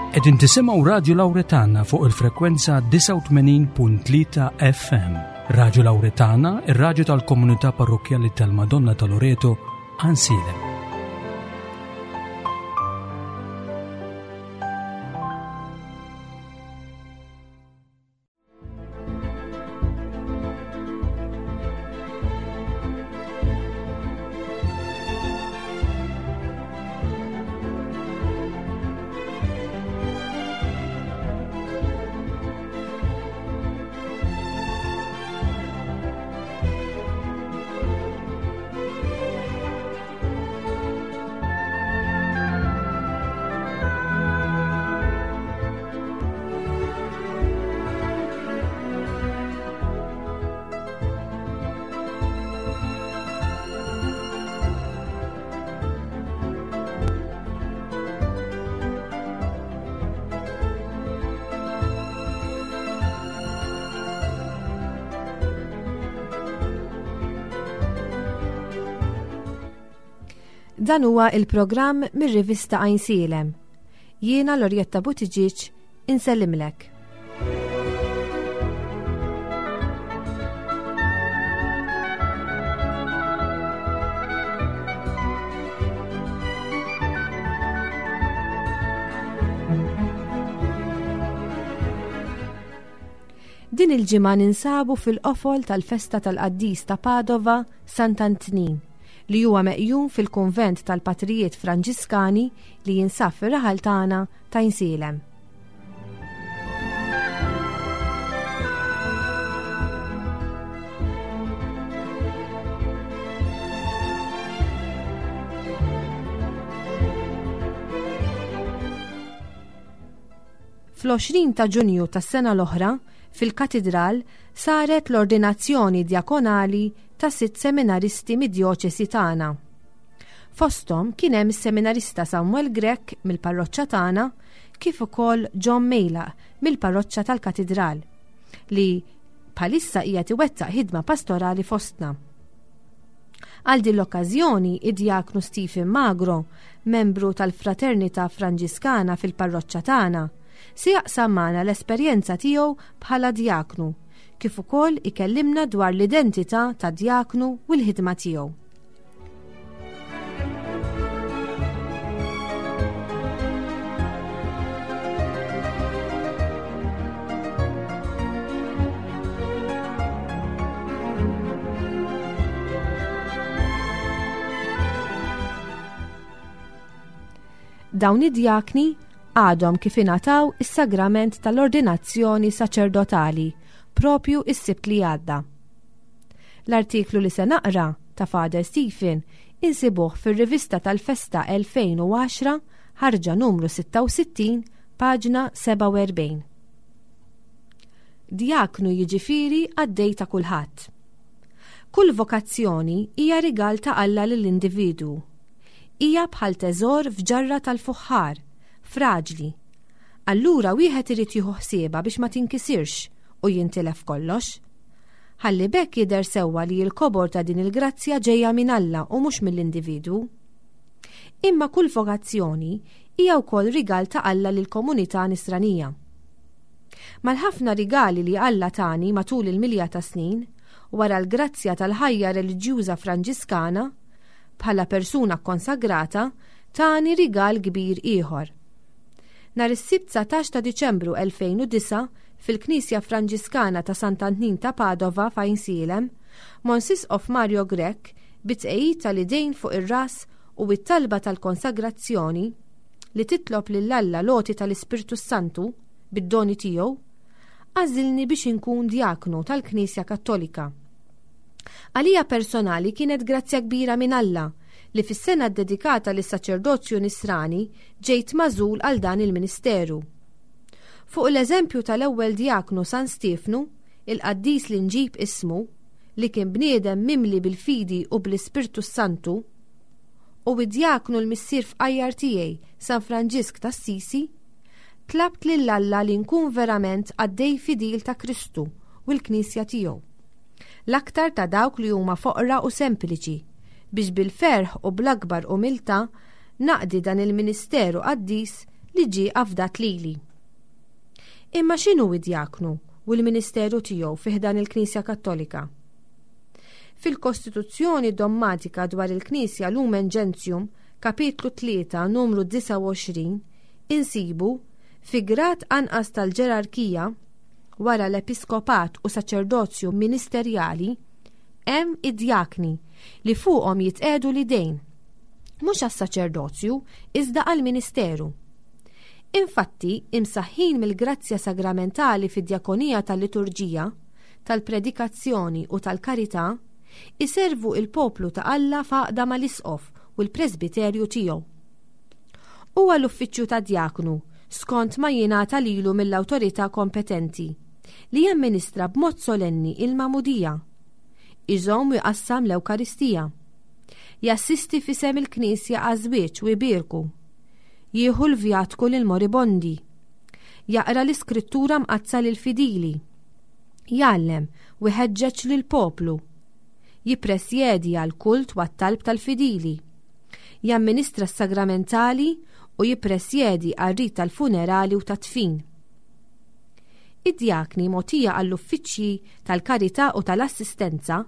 Qegħdin tisimgħu Radju Lawretana fuq il-frekwenza 89.3 FM. Radju Lawretana, ir-radju tal-komunità parrokkjali tal-Madonna ta' Loreto, Ansilem. Dan huwa il-programm mir-rivista Għajnsielem. Jiena Lorjetta Buttigieg insellimlek. Din il-ġimgħa ninsabu fil-qofol tal-festa tal-qaddis ta' Padova, Sant'Antnin, li huwa meqjum fil-kunvent tal-Patrijiet Franġiskani li jinsab fir-raħal tagħna ta' Insielem. Fl-20 ta' Ġunju tas-sena l-oħra, fil-Katidral saret l-ordinazzjoni djakonali ta' sitt seminaristi mid-djoċesi tagħna. Fosthom kien hemm is-seminarista Samuel Grech mill-parroċċa tagħna kif ukoll John Mejlaq mill-parroċċa tal-Katidral li bħalissa qiegħed iwettaq ħidma pastorali fostna. Għal din l-okkażjoni, id-djaknu Stephen Magro, membru tal-Fraternità Franġiskana fil-parroċċa tagħna, se jaqsam magħna l-esperjenza tiegħu bħala djaknu, kif ukoll ikellimna dwar l-identità ta' djaknu u l-ħidma tiegħu. Dawn id-djakni għadhom kif ingħataw is-sagrament tal-ordinazzjoni saċerdotali propju is-Sibt li għadda. L-artiklu li se naqra ta' Father Stephen insibuh fir-rivista tal-festa 2010 ħarġa numru 66 paġna 47. Djaknu jiġifieri qaddej ta' kulħadd. Kull vokazzjoni hija rigal ta' Alla lill-individwu. Hija bħal teżor f'ġarra tal-fuħħar, fraġli. Allura wieħed irid jieħu ħsiebha biex ma tinkisirx u jintilef kollox. Ħalli b'hekk jidher sewwa li l-kobor ta' din il-grazzja ġejja minn Alla u mhux mill-individwu. Imma kull vokazzjoni hija wkoll rigal ta' Alla lill-komunità nisranija. Mal-ħafna rigali li Alla tani matul il-milja ta' snin, wara l-grazzja tal-ħajja reliġjuża Franġiskana, bħala persuna kkonsagrata, tani rigal kbir ieħor. Nhar is-Sibt 19 ta' Diċembru 2009, fil-Knisja Franġiskana ta' Sant'Antnin ta' Padova f'Għajnsielem, Mons Isqof Mario Grech, bit-tqegħid tal-idejn fuq ir-ras u t-talba tal-konsagrazzjoni, li titlob lil Alla l-għoti tal-Ispirtu s-Santu bid-doni tiegħu, għażilni biex inkun djaknu tal-Knisja Kattolika. Għalija personali kienet grazzja kbira minn Alla li fis-sena ddedikata lis-saċerdozju nisrani ġejt magħżul għal dan il-ministeru. Fuq l-eżempju tal-ewwel djaknu San Stiefnu, il-qaddis li nġib ismu, li kien bniedem mimli bil-fidi u bl-Ispirtu s-Santu, u id-djaknu l-missier fqajjar tiegħi San Franġisk t'Assisi, tlabt lil Alla li nkun verament qaddej fidil ta' Kristu u l-Knisja tiegħu. L-aktar ta' dawk li huma foqra u sempliċi, biex bil-ferħ u bl-akbar umiltà naqdi dan il-ministeru qaddis. li ġie afdat lili. Imma x'inhu id-djaknu u l-ministeru tiegħu fi ħdan il-Knisja Kattolika? Fil-Kostituzzjoni Dommatika dwar il-Knisja Lumen Gentium, kapitlu 3, numru 29, insibu, fi grad anqas tal-ġerarkija, wara l-episkopat u saċerdozju ministerjali, hemm id-djakni li fuqhom jitqiegħdu l-idejn, mhux għas-saċerdozju iżda għall-ministeru. Infatti, imsaħħin mill-grazzja sagramentali fid-djakonija tal-liturġija, tal-predikazzjoni u tal-karità, iservu il-poplu ta' Alla f'għaqda mal-isqof u l-presbiterju tiegħu. Huwa l-uffiċċju tad-djaknu, skont ma jingħata lilu mill-awtorità kompetenti, li jamministra b'mod solenni il-magħmudija, iżomm u jqassam l-Ewkaristija, jassisti f'isem il-Knisja għaż-żwieġ u jbierku, jieħu l-vjatku lill-moribondi, jaqra l-Iskrittura Mqaddsa lill-fidili, jgħallem u jħeġġeġ lill-poplu, jippresjedi għall-kult u għat-talb tal-fidili, jamministra s-sagramentali u jippresjedi għar-rit tal-funerali u tat-dfin. Id-djakni mogħtija għall-uffiċċji tal-karità u tal-assistenza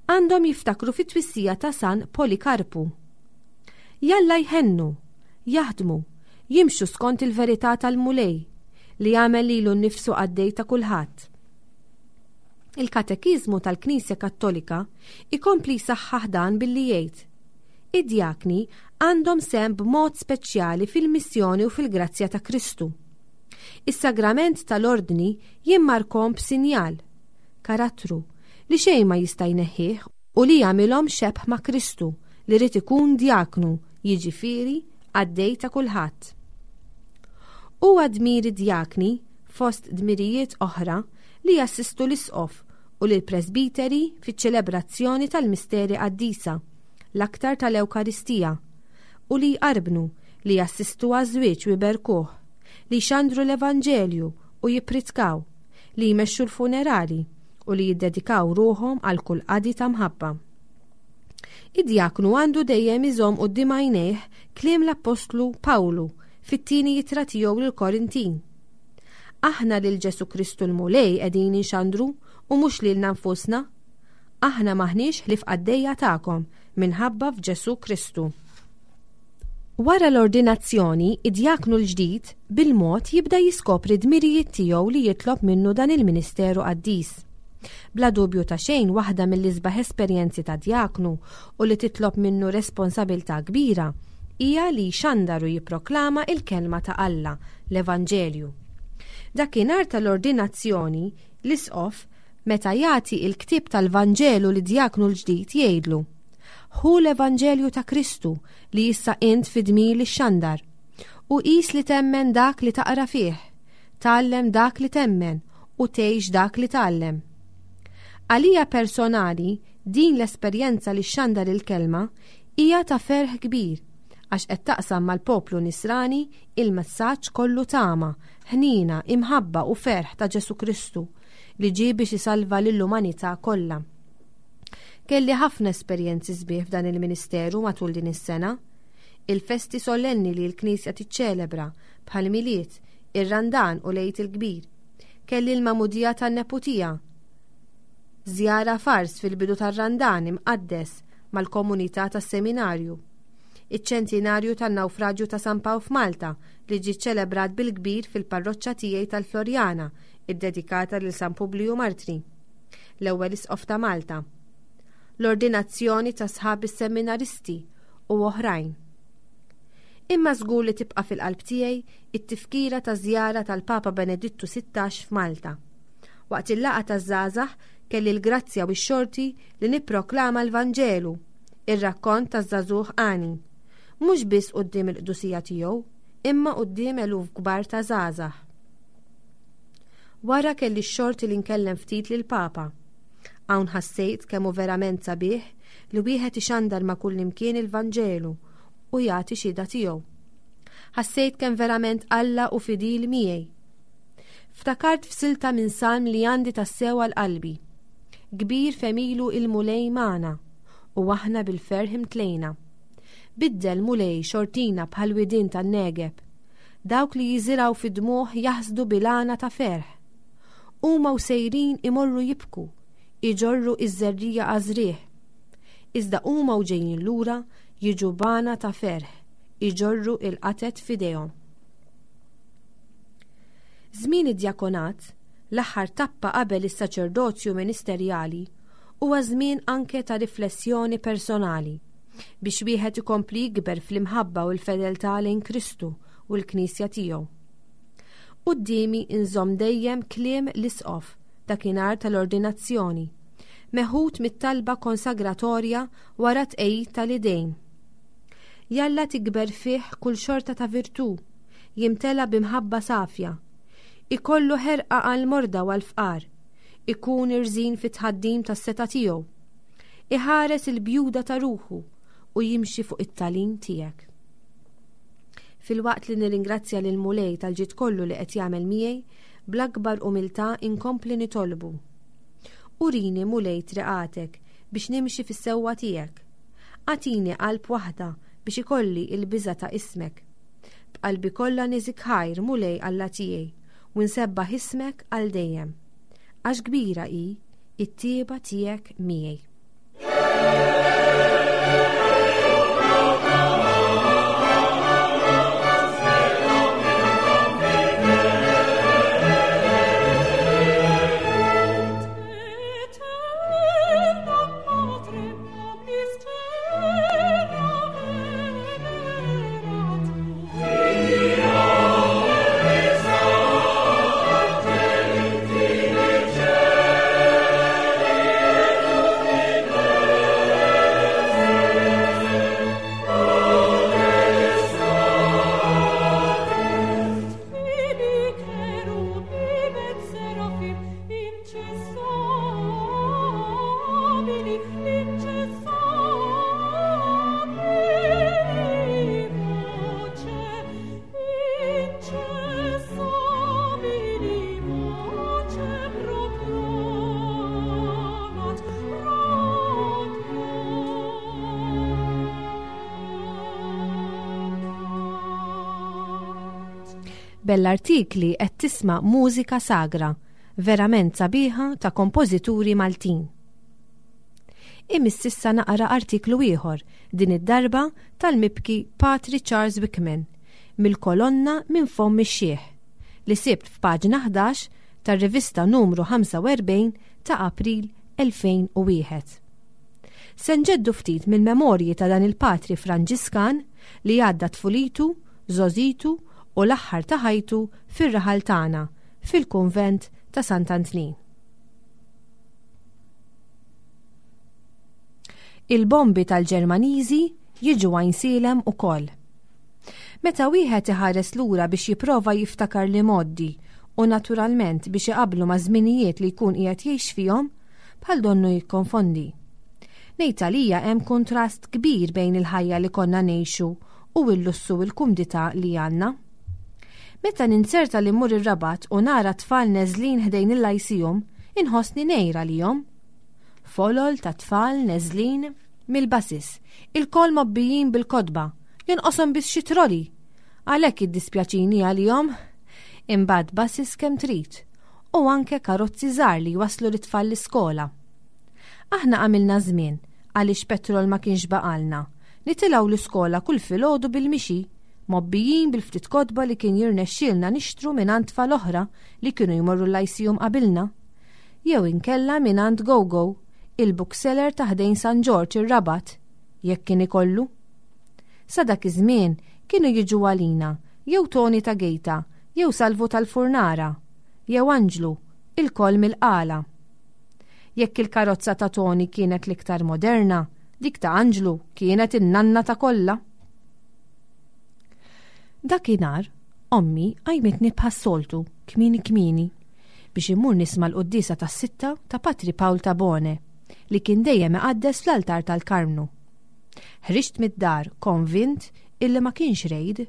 għandhom jiftakru fit-twissija ta' San Polikarpu. Jalla jħennu, jaħdmu, jimxu skont il-verità tal-Mulej, li għamel lilu nnifsu qaddej ta' kulħadd. Il-Katekiżmu tal-Knisja Kattolika ikompli jsaħħaħ dan billi jgħid, Id-djakni għandhom sehem b'mod speċjali fil-missjoni u fil-grazzja ta' Kristu. Is-sagrament tal-ordni jimmarkhom b'sinjal, karattru, li xejn ma jista' jneħħih u li jagħmilhom xebh ma' Kristu li ried ikun djaknu, jiġifieri qaddej ta' kulħadd. Huwa dmir id-djakni, fost dmirijiet oħra, li jassistu l-isqof u lill-presbiteri fiċ-ċelebrazzjoni tal-misteri qaddisa, l-aktar tal-Ewkaristija, u li jqarbnu, li jassistu għaż-żwieġ u jberkuh, li jxandru l-Evanġelju u jippritkaw, li jmexxu l-funerali u li jiddedikaw ruħhom għal kull qadi ta' mħabba. Id-djaknu għandu dejjem iżomm quddiem għajnejh kliem l-Appostlu Pawlu fit-tieni ittra tiegħu lill-Korintin. Aħna lil Ġesù Kristu l-Mulej qegħdin inxandru u mhux lilna nfusna. Aħna m'aħniex ħlief qaddejja tagħkom minħabba f'Ġesù Kristu. Wara l-ordinazzjoni, id-djaknu l-ġdid bil-mod jibda jiskopri d-dmirijiet tiegħu li jitlob minnu dan il-ministeru qaddis. Bla dubju ta' xejn waħda mill-isbaħ esperjenzi ta' djaknu u li titlob minnu responsabilità kbira hija li jxandar u jipproklama il-kelma ta' Alla, l-Evanġelju. Dakinhar tal-ordinazzjoni, l-isqof, meta jagħti il-ktieb tal-Vanġelu lid-djaknu l-ġdid jgħidlu, Ħu l-Evanġelju ta' Kristu li issa int fi dmir li xxandar. U qis li temmen dak li taqra fih, tgħallem dak li temmen u tgħix dak li tgħallem. Għalija personali, din l-esperjenza li xxandar il-kelma hija ta' ferħ kbir għax qed taqsam mal-poplu nisrani il-messaġġ kollu tama, ħniena, imħabba u ferħ ta' Ġesù Kristu li ġie biex isalva lill-umanità kollha. Kelli ħafna esperjenzi sbieħ f'dan il-ministeru matul din is-sena. Il-festi sollenni li l-Knisja tiċċelebra, bħall-Milied, ir-Randan u l-Għid il-Kbir. Kelli l-magħmudija tan-neputija. Żjara f'Ars fil-bidu tar-Randan imqaddes mal-komunità tas-seminarju. Iċ-ċentinarju tan-nawfraġju ta' San Pawl f'Malta li ġie ċċelebrat bil-kbir fil-parroċċa tiegħi tal-Floriana, iddedikata lil San Publiju Martri. l-ewwel Isqof ta' Malta, l-ordinazzjoni ta' sħab is-seminaristi u oħrajn. Imma żgur li tibqa' fil-qalb tiegħi it-tifkira ta' żjara tal-Papa Benedittu 16 f'Malta. Waqt il-laqgħa taż-żgħażagħ kelli l-grazzja u x-xorti li nipproklama l-Vanġelu, ir-rakkont taż-żagħżugħ għani. Mhux biss quddiem il-qdusija tiegħu, imma quddiem eluf kbar ta' żgħażagħ. Wara kelli x-xorti li nkellem ftit lill-Papa. Hawn ħassejt kemm hu verament sabiħ li wieħed ixandar ma' kullimkien il-Vanġelu u jagħti xhieda tiegħu. Ħassejt kemm verament Alla hu fidil miegħi. Ftakart f'silta minn salm li għandi tassew għal qalbi. Kbir f'għemilu il-Mulej magħna, u aħna bil-ferħ imtlejna. Biddel, Mulej, xortina bħal widien tan-Negeb. Dawk li jiżirgħu fid-dmugħ jaħsdu bil-għana ta' ferħ. Huma u sejrin imorru jibku, iġorru iż-żerriegħa għaż-żrigħ. Iżda huma u ġejjin lura jiġu b'għana ta' ferħ, iġorru il-qatet f'idejhom. Żmien id-djakonat, l-aħħar tappa qabel is-saċerdozju ministerjali, huwa żmien anke ta' riflessjoni personali biex wieħed ikompli jikber fl-imħabba u l-fedeltà lejn Kristu u l-Knisja tiegħu. Quddiemi nżomm dejjem kliem l-Isqof dakinhar tal-ordinazzjoni, meħud mit-talba konsagratorja wara t-tqegħid tal-idejn. Jalla tikber fih kull xorta ta' virtù, jimtela b'imħabba safja, ikollu ħerqa għall-morda u għall-fqar, ikun irżin fit-tħaddim tas-setgħa tiegħu, iħares il-bjuda ta' ruħu u jimxi fuq it-tagħlim tiegħek. Filwaqt li nirringrazzja lil Mulej tal-ġid kollu li qed jagħmel miegħi, bl-akbar umiltà inkompli nitolbu. Urini Mulej triqatek biex nimxi fis-sewwa tiegħek. Agħtini qalb waħda biex ikolli il-biża' ta' ismek. B'qalbi kollha niżik ħajr Mulej Alla tiegħi u nsebbaħ ismek għal dejjem. Għax kbira hi it-tieba tiegħek miegħi. Bell-artikli qed tisma' mużika sagra, verament sabiħa ta' kompożituri Maltin. Imiss issa naqra artiklu ieħor, din id-darba tal-mibki Patri Charles Wickman, mill-kolonna Minn Fomm ix-Xiħ, li sibt f'paġna 11 tar-rivista numru 45 ta' April 2001. Se nġeddu ftit mill-memorji ta' dan il-patri Franġiskan li għadda tfulitu, żgħożitu u l-aħħar ta' ħajtu fir-raħal tagħna, fil-kunvent ta' Sant'Antnin. Il-bombi tal-Ġermaniżi jiġu Għajnsielem ukoll. Meta wieħed iħares lura biex jipprova jiftakar l-imgħoddi u naturalment biex iqabblu maż-żminijiet li jkun qiegħed jgħix fihom, bħal donnu jikkonfondi. Ngħid għalija hemm kuntrast kbir bejn il-ħajja li konna ngħixu u l-lussu u l-kumdità li għandna. Meta ninzerta li mmur ir-Rabat u nara tfal neżlin ħdejn il-Lyceum, inħossni ngħir għalihom. Folol ta' tfal neżlin mill-buses, ilkoll mgħobbijin bil-kotba, jonqoshom biss xi trolley. Għalhekk jiddispjaċini għalihom. Imbagħad buses kemm trid u anke karozzi żgħar li jwasslu lit-tfal l-iskola. Aħna għamilna żmien, għaliex petrol ma kienx baqalna, nitilgħu l-iskola kull filgħodu bil-mixi, mgħobbijin bil-ftit kotba li kien jirnexxielna nixtru mingħand tfal oħra li kienu jmorru l-Lyceum qabilna. Jew inkella mingħand Gogo, il-bookseller ta' ħdejn San Ġorġ ir-Rabat, jekk kien ikollu. Sa dak iż-żmien kienu jiġu għalina jew Toni ta' Gejta jew Salvu tal-Furnara, jew Anġlu, ilkoll mill-Qala. Jekk il-karozza ta' Toni kienet l-iktar moderna, dik ta' Anġlu kienet in-nanna ta' kollha. Dakinhar, ommi qajmitni bħas-soltu, kmieni kmieni, biex immur nisma' l-quddiesa tas-sitta ta' Patri Pawl Tabone, li kien dejjem iqaddes fl-altar tal-Karmnu. Ħriġt mid-dar konvint illi ma kienx rejd.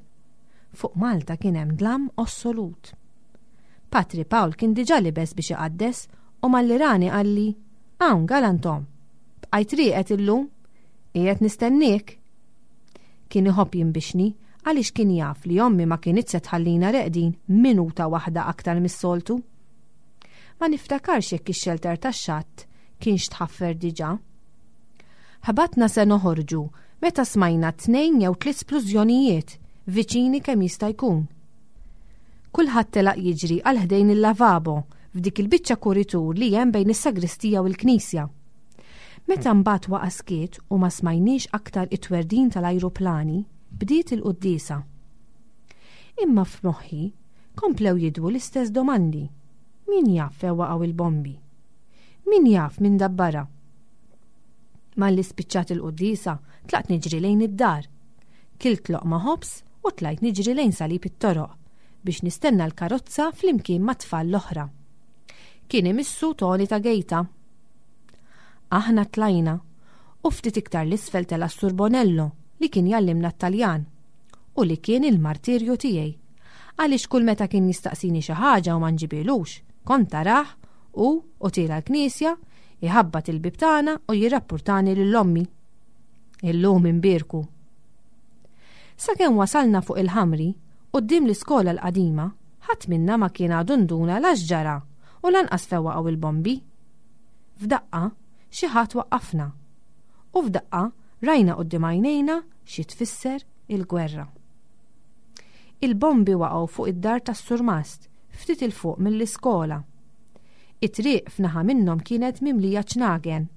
Fuq Malta kien hemm dlam ossolut. Patri Pawl kien diġà libes biex iqaddes u malli rani qalli, Hawn, galantom! Bqajt rieqed illum? Qiegħed nistenniek! Kien iħobb jinbixni. Għaliex kien jaf li ommi ma kinitx se tħallina reqdin minuta waħda aktar mis-soltu. Ma niftakarx jekk ix-xelter tax-xatt kienx tħaffer diġà. Ħbatna se noħorġu meta smajna tnejn jew tliet splużjonijiet viċini kemm jista' jkun. Kulħadd telaq jiġri għal ħdejn il-lavabo f'dik il-biċċa kuritur li hemm bejn is-sagristija u l-knisja. Meta mbagħad waqa' skiet u ma smajniex aktar it-twerdin tal-ajruplani, bdiet il-quddiesa. Imma f'moħħi komplew jidwu l-istess domandi. Min jaf fejn waqgħu il-bombi? Min jaf min dabbarha? Malli spiċċat il-quddiesa, tlaqt niġri lejn id-dar. Kilt loqma ħobż u tlajt niġri lejn salib it-toroq biex nistenna l-karozza flimkien mat-tfal l-oħra. Kien imissu Toni ta' Gejta. Aħna tlajna u ftit iktar l-isfel tela' s-Sur Bonello li kien jgħallimna t-Taljan u li kien il-martirju tiegħi għaliex kull meta kien jistaqsini xi ħaġa u ma nġibilux, kont tarah u u tiela l-knisja, iħabbat il-bieb tagħna u jirrappurtani lil ommi. Illum imbierku. Sakemm wasalna fuq il-ħamri, quddiem l-iskola l-qadima, ħadd minna ma kien għadu nduna la x'ġara u lanqas fejn waqgħu il-bombi. F'daqqa, xi ħadd waqqafna. U f'daqqa rajna quddiem għajnejna xi tfisser il-gwerra. Il-bombi waqgħu fuq id-dar tas-surmast, ftit 'il fuq mill-iskola. It-triq f'naħa minnhom kienet mimlija ċnagen.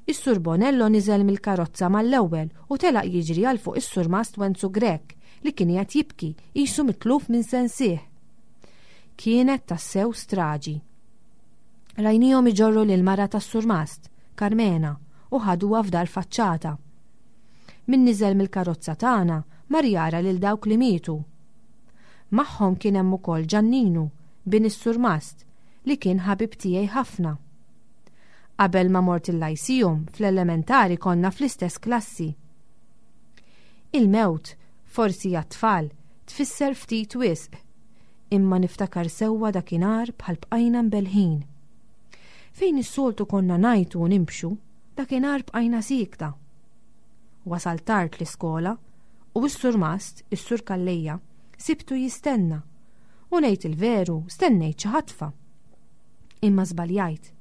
Is-Sur Bonello niżel mill-karozza mal-ewwel u telaq jiġri għal fuq is-Surmast Wenzu Grech li kien qiegħed jibki qisu mitluf minn sensih. Kienet tassew straġi. Rajnihom iġorru lil mara tas-surmast, Karmena, u ħaduha f'dar faċċata. Min niżel mill-karozza tagħna mar jara lil dawk li mietu. Magħhom kien hemm ukoll Ġanninu, bin is-surmast, li kien ħabib tiegħi ħafna. Qabel ma mort il-Lyceum, fl-elementari konna fl-istess klassi. Il-mewt, forsi għat-tfal, tfisser ftit wisq, Imma niftakar sewwa dakinhar bħal bqajna mbellħin. Fejn is-soltu konna ngħajtu u nimbxu, dakinhar bqajna siekta. Wasalt tard l-iskola u s-surmast, is-Sur Calleja, sibtu jistenna. U ngħid il-veru, stennejt xi ħatfa. Imma żbaljajt.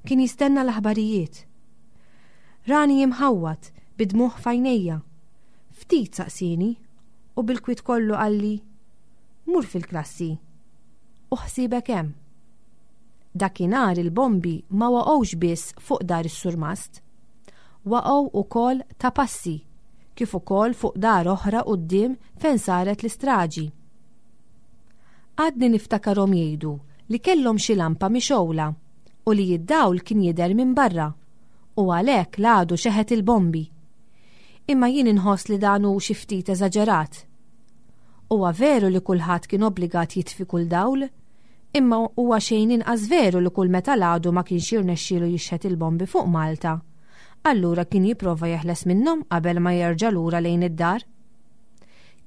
Kien jistenna l-aħbarijiet. Rani imħawwad, bid-dmugħ f'għajnejja. Ftit saqsieni u bil-kwiet kollu qalli, Mur fil-klassi u ħsiebek hemm. Dakinhar il-bombi ma waqgħux biss fuq dar is-surmast. Waqgħu ukoll ta' passi, kif ukoll fuq dar oħra quddiem fejn saret l-istraġi. Għadni niftakarhom jgħidu li kellhom xi lampa mixgħula u li d-dawl kien jidher minn barra u għalhekk l-għadu xeħet il-bombi. Imma jien inħoss li dan hu xi ftit eżaġerat. Huwa veru li kulħadd kien obbligat jitfi kull dawl, imma huwa xejn inqas veru li kull meta l-għadu ma kienx jirnexxielu jixħet il-bombi fuq Malta, allura kien jipprova jeħles minnhom qabel ma jerġa' lura lejn id-dar.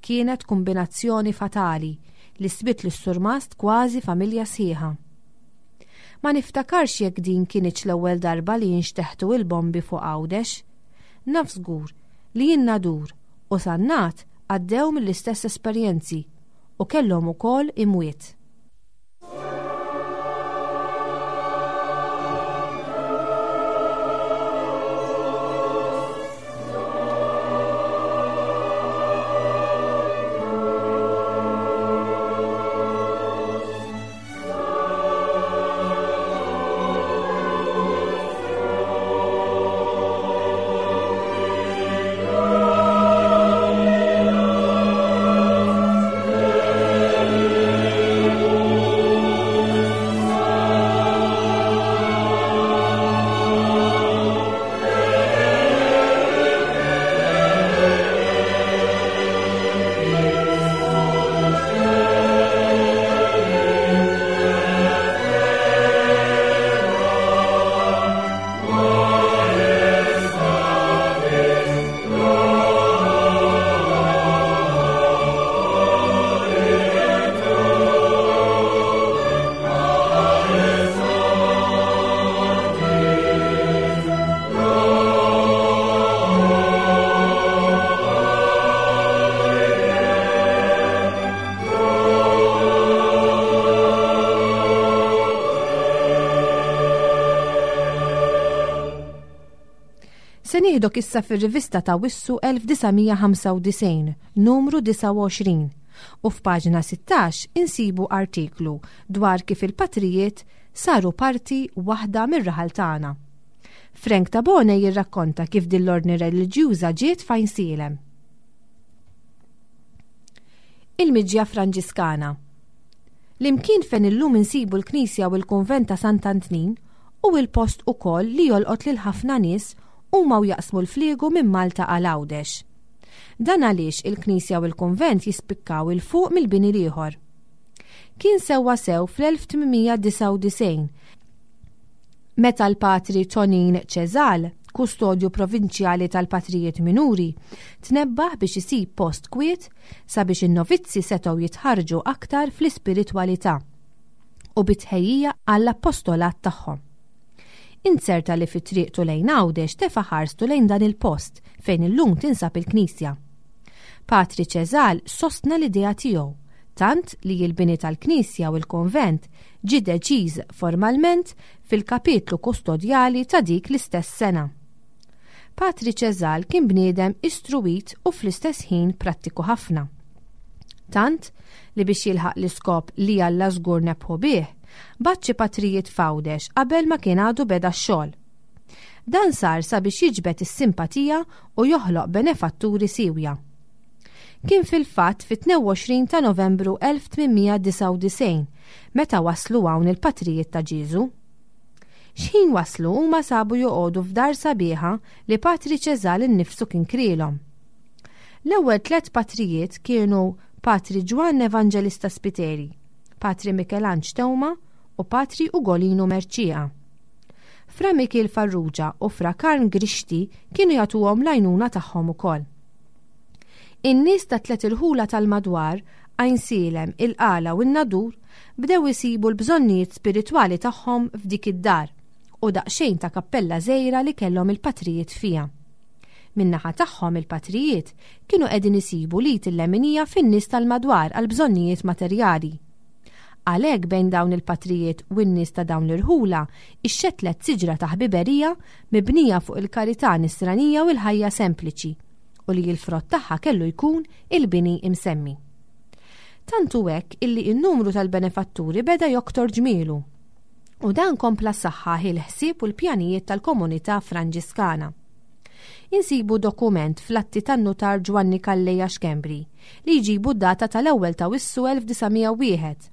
Kienet kumbinazzjoni fatali li sbiet lis-surmast kważi familja sħiħa. Ma niftakarx jekk din kinitx l-ewwel darba li inxteħtu il-bombi fuq Għawdex. Naf żgur li in-Nadur u Sannat għaddew mill-istess esperjenzi u kellhom ukoll imwiet. Nieħdok issa fir-rivista ta' Wissu 1995, numru 29, u f'paġna 16 insibu artiklu dwar kif il-patrijiet saru parti waħda mir-raħal tagħna. Frank Tabone jirrakkonta kif din l-ordni reliġjuża ġiet f'Għajnsielem. Il-Miġja Franġiskana L-imkien fejn illum insibu l-knisja u l-kunvent ta' Sant'Antnin hu l-post ukoll li jolqot lil ħafna nies huma u jaqsmu l-fliegu minn Malta għal Għawdex. Dan għaliex il-knisja u l-kunvent jispikkaw 'il fuq mill-bini l-ieħor. Kien sewwasew fl-1899 meta l-Patri Tonin Cesal, kustodju provinċjali tal-Patrijiet Minuri, tnebbaħ biex isib post kwiet sabiex in-novizzi setgħu jitħarrġu aktar fl-ispiritwalità u bi tħejjija għall-appostolat tagħhom. Inzerta li fi triqtu lejn Għawdex tefa' ħarstu lejn dan il-post fejn illum tinsab il-knisja. Patri Cesal sostna l-idea tiegħu, tant li l-bini tal-knisja u l-kunvent ġie deċiż formalment fil-kapitlu kustodjali ta' dik l-istess sena. Patri Cesal kien bniedem istruwit u fl-istess ħin prattiku ħafna. Tant li biex jilħaq l-iskop li Alla żgur nebħu bih, bagħat xi patrijiet f'Għawdex qabel ma kien għadu beda x-xogħol. Dan sar sabiex jiġbed is-simpatija u joħloq benefatturi siewja. Kien fil-fatt fit-22 ta' Novembru 1899 meta waslu hawn il-patrijiet ta' Ġieżu. X'ħin waslu huma sabu joqogħdu f'dar sabiħa li Patri Ċeżal innifsu kien krielhom. L-ewwel tlett patrijiet kienu Patri Ġwann Evanġelista Spiteri, Patri Mikelanġ Teuma u Patri Ugolinu Mercieca. Fra Mikiel Farrugia u Fra Karm Grixti kienu jagħtuhom l-għajnuna tagħhom ukoll. In-nies tat-tliet irħula tal-madwar, Għajnsielem, il-Qala u n-Nadur, bdew isibu l-bżonnijiet spiritwali tagħhom f'dik id-dar u daqsxejn ta' kappella żgħira li kellhom il-patrijiet fiha. Min-naħa tagħhom il-patrijiet kienu qegħdin isibu l-id il-leminija fin-nies tal-madwar għall-bżonnijiet materjali. Għalhekk bejn dawn il-patrijiet u n-nies ta' dawn l-irħula ixxettlet siġra ta' ħbiberija mibnija fuq il-karità nisranija u l-ħajja sempliċi u li l-frott tagħha kellu jkun il-bini imsemmi. Tant hu hekk illi n-numru tal-benefatturi beda joktor ġmielu. U dan kompla saħħaħ il-ħsieb u l-pjanijiet tal-komunità Franġiskana. Insibu dokument fl-atti tan-nutar Ġwanni Calleja Schembri li jġibu d-data tal-ewwel ta' Wissu 1901,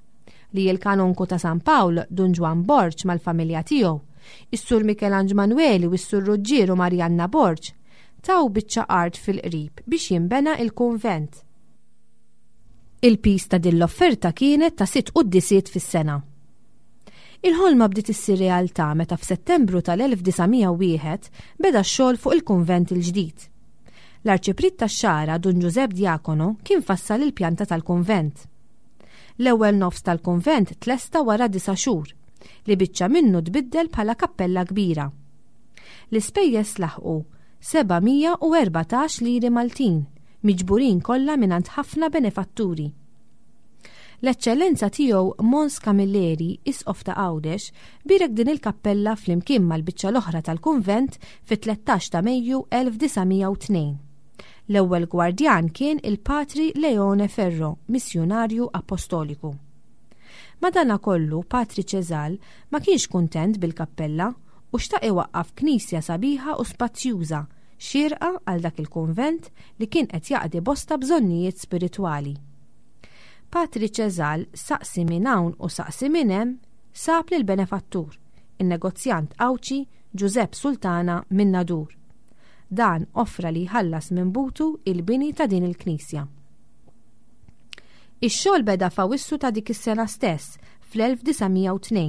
li l-Kanonku ta' San Pawl, Dun Ġwann Borg mal-familja tiegħu, is-Sur Mikelanġ Manweli u s-Sur Ruġġier u Marianna Borg, taw biċċa art fil-qrib biex jinbena il-kunvent. Il-piż ta' din l-offerta kienet ta' sitt quddisiet fis-sena. Il-ħolma bdiet issir realtà meta f'Settembru tal-1901 beda x-xogħol fuq il-kunvent il-ġdid. L-Arċipriet tax-Xagħra Dun Ġużepp Diacono kien fassal il-pjanta tal-kunvent. L-ewwel nofs tal-kunvent tlesta wara disa' xhur, li biċċa minnu tbiddel bħala kappella kbira. L-ispejjeż laħqu 714 liri Maltin, miġburin kollha mingħand ħafna benefatturi. L-Eċċellenza Tiegħu Mons Camilleri, Isqof ta' Għawdex, bierek din il-kappella flimkien mal-biċċa l-oħra tal-kunvent fit-13 ta' Mejju 1902. L-ewwel gwardjan kien il-Patri Leone Ferro, missjunarju appostoliku. Madanakollu, Patri Cesal ma kienx kuntent bil-kappella u xtaq iwaqqaf knisja sabiħa u spazjuża, xierqa għal dak il-kunvent li kien qed jaqdi bosta bżonnijiet spiritwali. Patri Cesal saqsi minn hawn u saqsi minn hemm, sab lill-benefattur, in-negozjant Għawdxi Ġużepp Sultana min-Nadur. Dan offra li jħallas minn butu il-bini ta' din il-knisja. Ix-xogħol beda f'Awissu ta' dik is-sena stess, fl-1902.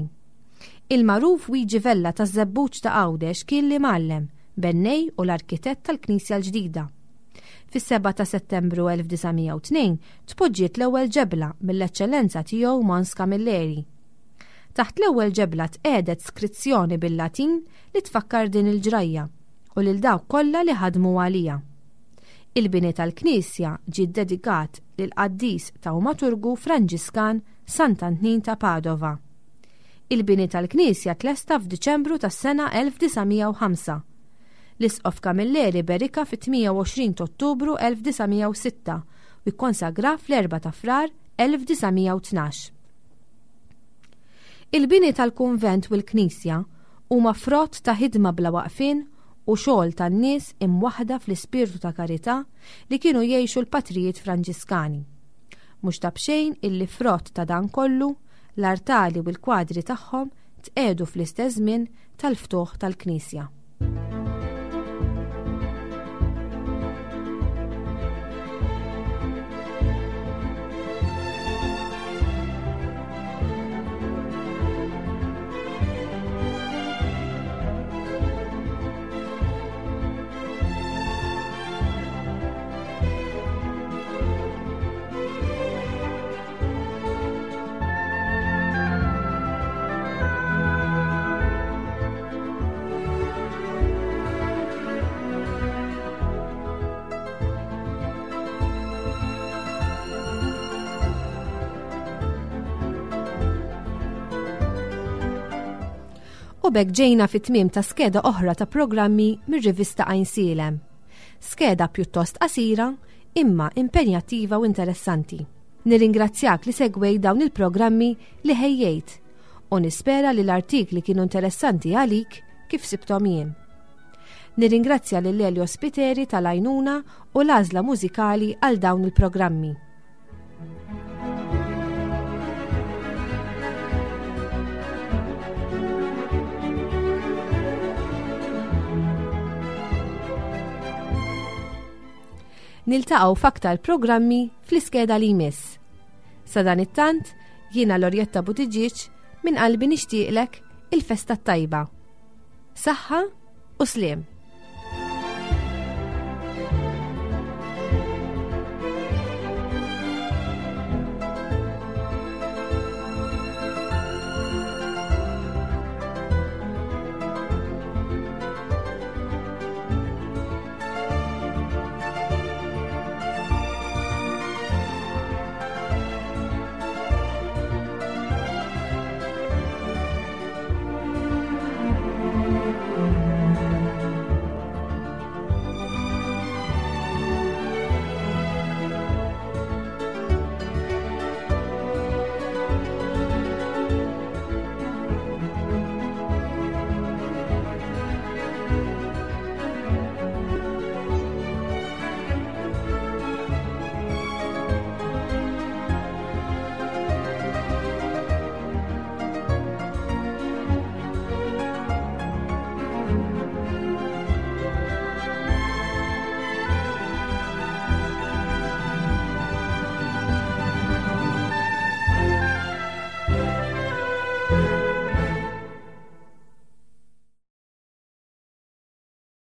Il-magħruf Wiji Vella taż-Żebbuġ ta' Għawdex kien l-imgħallem, bennej u l-arkitett tal-knisja l-ġdida. Fis-7 ta' Settembru 1902 tpoġġiet l-ewwel ġebla mill-Eċċellenza Tiegħu Mons Camilleri. Taħt l-ewwel ġebla tqiegħdet skrizzjoni bil-Latin li tfakkar din il-ġrajja u lil dawk kollha li ħadmu għaliha. Il-bini tal-knisja ġie ddedikat lill-qaddis tawmaturgu Franġiskan Sant'Antnin ta' Padova. Il-bini tal-knisja tlesta f'Diċembru tas-sena 1905. L-Isqof Camilleri berikha fit-28 t'Ottubru 1906 u kkonsagrah fl-4 ta' Frar 1912. Il-bini tal-kunvent u l-knisja huma frott ta' ħidma bla waqfien u xogħol tan-nies imwaħħda fl-ispirtu ta' karità li kienu jgħixu l-patrijiet Franġiskani. Mhux ta' b'xejn illi frott ta' dan kollu, l-artali u l-kwadri tagħhom tqiegħdu fl-istess żmien tal-ftuħ tal-knisja. U b'hekk ġejna fit-tmiem ta' skeda oħra ta' programmi mir-rivista Għajnsielem. Skeda pjuttost qasira, imma impenjattiva u interessanti. Nirringrazzjak li segwejt dawn il-programmi li ħejjejt u nispera li l-artikli kienu interessanti għalik kif sibthom jien. Nirringrazzja lil Elio Spiteri tal-għajnuna u l-għażla mużikali għal dawn il-programmi. Niltaqgħu f'aktar programmi fl-iskeda li jmiss. Sadanittant, jiena Lorjetta Buttigieg minn qalbi nixtieqlek il-festa t-tajba. Saħħa u sliem.